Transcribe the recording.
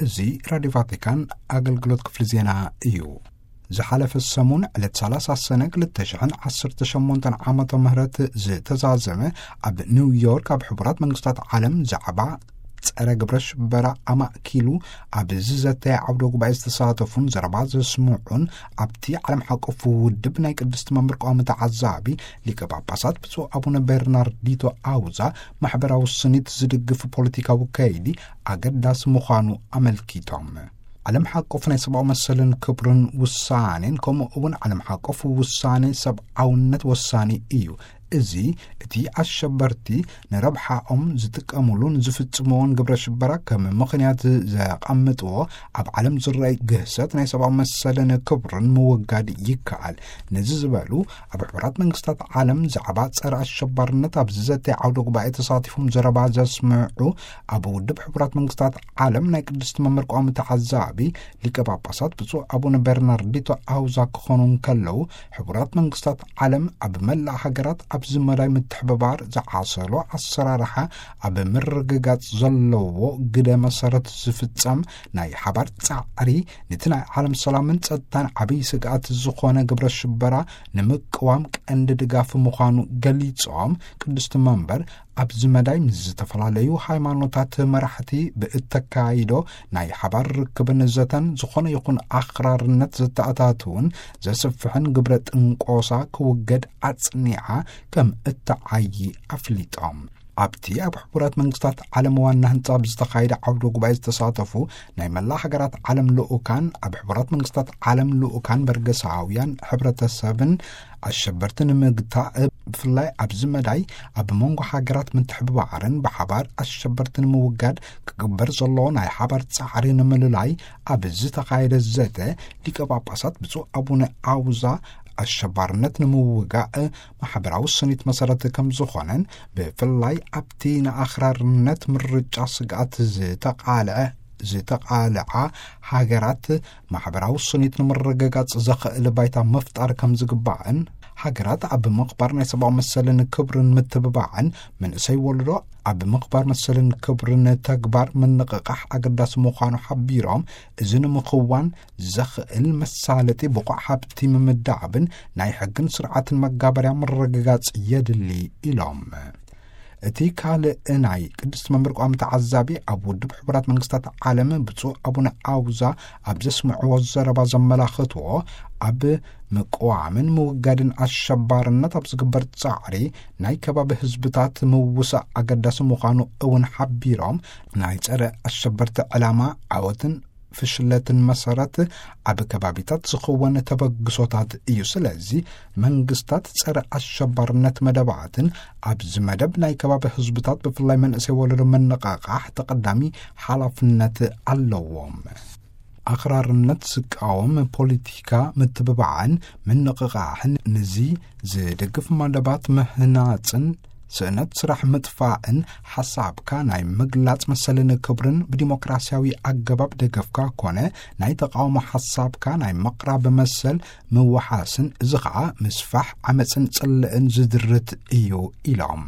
እዚ ራዲዮ ቫቲካን ኣገልግሎት ክፍሊ ዜና እዩ። ዝሓለፈ ሰሙን ዕለት ሰላሳ ሰነ ክልተ ሽሕን ዓሰርተ ሸሞንተን ዓመተ ምህረት ዝተዛዘመ ኣብ ኒውዮርክ ኣብ ሕቡራት መንግስታት ዓለም ዛዕባ ጸረ ግብረ ሽበራ ኣማእኪሉ ኣብ ዝዘተየ ዓውደ ጉባኤ ዝተሳተፉን ዘረባ ዘስምዑን ኣብቲ ዓለም ሓቆፍ ውድብ ናይ ቅድስቲ መንበር ቀዋሚ ተዓዛቢ ሊቀ ጳጳሳት ብፁዕ ኣቡነ ቤርናርዲቶ ኣውዛ ማሕበራዊ ስኒት ዝድግፍ ፖለቲካዊ ከይዲ ኣገዳሲ ምዃኑ ኣመልኪቶም። ዓለም ሓቆፍ ናይ ሰብኣዊ መሰልን ክብርን ውሳኔን ከምኡ እውን ዓለም ሓቆፍ ውሳኔ ሰብኣውነት ወሳኒ እዩ። እዚ እቲ ኣሸበርቲ ንረብሓኦም ዝጥቀምሉን ዝፍጽምዎን ግብረ ሽበራ ከም ምኽንያት ዘቐምጥዎ ኣብ ዓለም ዝረኣይ ግህሰት ናይ ሰብኣዊ መሰልን ክብርን ምውጋድ ይከኣል። ነዚ ዝበሉ ኣብ ሕቡራት መንግስታት ዓለም ዛዕባ ጸረ ኣሸባርነት ኣብ ዝዘተ ዓውደ ጉባኤ ተሳቲፎም ዘረባ ዘስምዑ ኣብ ውድብ ሕቡራት መንግስታት ዓለም ናይ ቅድስቲ መንበር ቀዋሚ ተዓዛቢ ሊቀ ጳጳሳት ብፁዕ ኣቡነ ቤርናርዲቶ ኣውዛ ክኾኑ እንከለዉ፣ ሕቡራት መንግስታት ዓለም ኣብ መላእ ሃገራት ኣብዚ መዳይ ምትሕብባር ዝዓሰሎ ኣሰራርሓ ኣብ ምርግጋጽ ዘለዎ ግደ መሰረት ዝፍጸም ናይ ሓባር ጻዕሪ ነቲ ናይ ዓለም ሰላምን ጸጥታን ዓብዪ ስግኣት ዝኾነ ግብረ ሽበራ ንምቅዋም ቀንዲ ድጋፍ ምዃኑ ገሊጾም፣ ቅድስቲ መንበር ኣብዚ መዳይ ምስ ዝተፈላለዩ ሃይማኖታት መራሕቲ ብእተካይዶ ናይ ሓባር ርክብን ዘተን ዝኾነ ይኹን ኣኽራርነት ዘተኣታትውን ዘስፍሕን ግብረ ጥንቆሳ ክውገድ ኣጽኒዓ ከም እተዓዪ ኣፍሊጦም። ኣብቲ ኣብ ሕቡራት መንግስታት ዓለም ዋና ህንጻ ብዝተኻየደ ዓውደ ጉባኤ ዝተሳተፉ ናይ መላእ ሃገራት ዓለም ልኡካን፣ ኣብ ሕቡራት መንግስታት ዓለም ልኡካን በርገሳውያን ሕብረተሰብን ኣሸበርቲ ንምግታእ ብፍላይ ኣብዚ መዳይ ኣብ መንጎ ሃገራት ምትሕብባርን ብሓባር ኣሸበርቲ ንምውጋድ ክግበር ዘሎ ናይ ሓባር ጻዕሪ ንምልላይ ኣብ ዝተኻየደ ዘተ ሊቀ ጳጳሳት ብፁዕ ኣቡነ ኣውዛ ኣሸባርነት ንምውጋእ ማሕበራዊ ስኒት መሰረት ከም ዝኾነን ብፍላይ ኣብቲ ንኣኽራርነት ምርጫ ስግኣት ዝተቓልዐ ዝተቓልዓ ሃገራት ማሕበራዊ ስኒት ንምርግጋጽ ዘኽእል ባይታ ምፍጣር ከም ዝግባእን ሃገራት ኣብ ምኽባር ናይ ሰብኣዊ መሰልን ክብርን ምትብባዕን መንእሰይ ወለዶ ኣብ ምኽባር መሰልን ክብርን ተግባር ምንቕቓሕ ኣገዳሲ ምዃኑ ሓቢሮም፣ እዚ ንምኽዋን ዘኽእል መሳለጢ ብቑዕ ሃብቲ ምምዳብን ናይ ሕግን ስርዓትን መጋበርያ ምርግጋጽ የድሊ ኢሎም። እቲ ካልእ ናይ ቅድስቲ መንበር ቋሚ ተዓዛቢ ኣብ ውድብ ሕቡራት መንግስታት ዓለም ብፁዕ ኣቡነ ኣውዛ ኣብ ዘስምዕዎ ዘረባ ዘመላኽትዎ፣ ኣብ ምቅዋምን ምውጋድን ኣሸባርነት ኣብ ዝግበር ጻዕሪ ናይ ከባቢ ህዝብታት ምውሳእ ኣገዳሲ ምዃኑ እውን ሓቢሮም፣ ናይ ጸረ ኣሸበርቲ ዕላማ ዓወትን ፍሽለትን መሰረት ኣብ ከባቢታት ዝኽወን ተበግሶታት እዩ። ስለዚ መንግስታት ጸረ ኣሸባርነት መደባትን ኣብዚ መደብ ናይ ከባቢ ህዝብታት ብፍላይ መንእሰይ ወለዶ መነቓቓሕ ተቐዳሚ ሓላፍነት ኣለዎም። ኣኽራርነት ዝቃወም ፖለቲካ ምትብባዕን ምንቕቓሕን፣ ንዚ ዝድግፍ መደባት ምህናጽን ስእነት ስራሕ ምጥፋእን፣ ሓሳብካ ናይ ምግላጽ መሰልን ክብርን ብዲሞክራሲያዊ ኣገባብ ደገፍካ ኮነ ናይ ተቃውሞ ሓሳብካ ናይ ምቕራብ መሰል ምውሓስን፣ እዚ ኸኣ ምስፋሕ ዓመጽን ጽልእን ዝድርት እዩ ኢሎም።